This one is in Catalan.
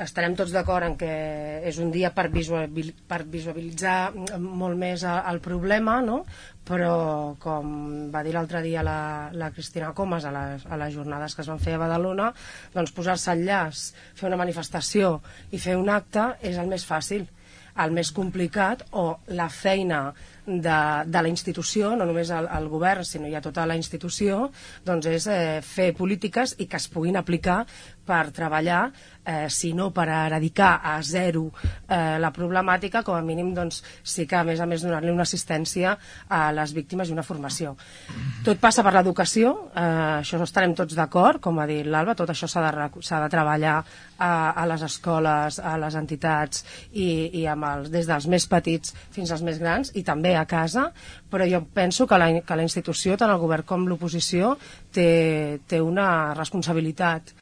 estarem tots d'acord en que és un dia per visualitzar molt més el problema, no? Però com va dir l'altre dia la Cristina Comas a les jornades que es van fer a Badalona, doncs posar-se al llaç, fer una manifestació i fer un acte és el més fàcil. El més complicat, o la feina de la institució, no només el govern, sinó ja tota la institució, doncs és fer polítiques i que es puguin aplicar per treballar, si no per eradicar a zero la problemàtica, com a mínim doncs, sí que a més donar-li una assistència a les víctimes i una formació. Tot passa per l'educació, això estarem tots d'acord, com ha dit l'Alba, tot això s'ha de treballar a les escoles, a les entitats i des dels més petits fins als més grans, i també a casa, però jo penso que la institució, tant el govern com l'oposició, té una responsabilitat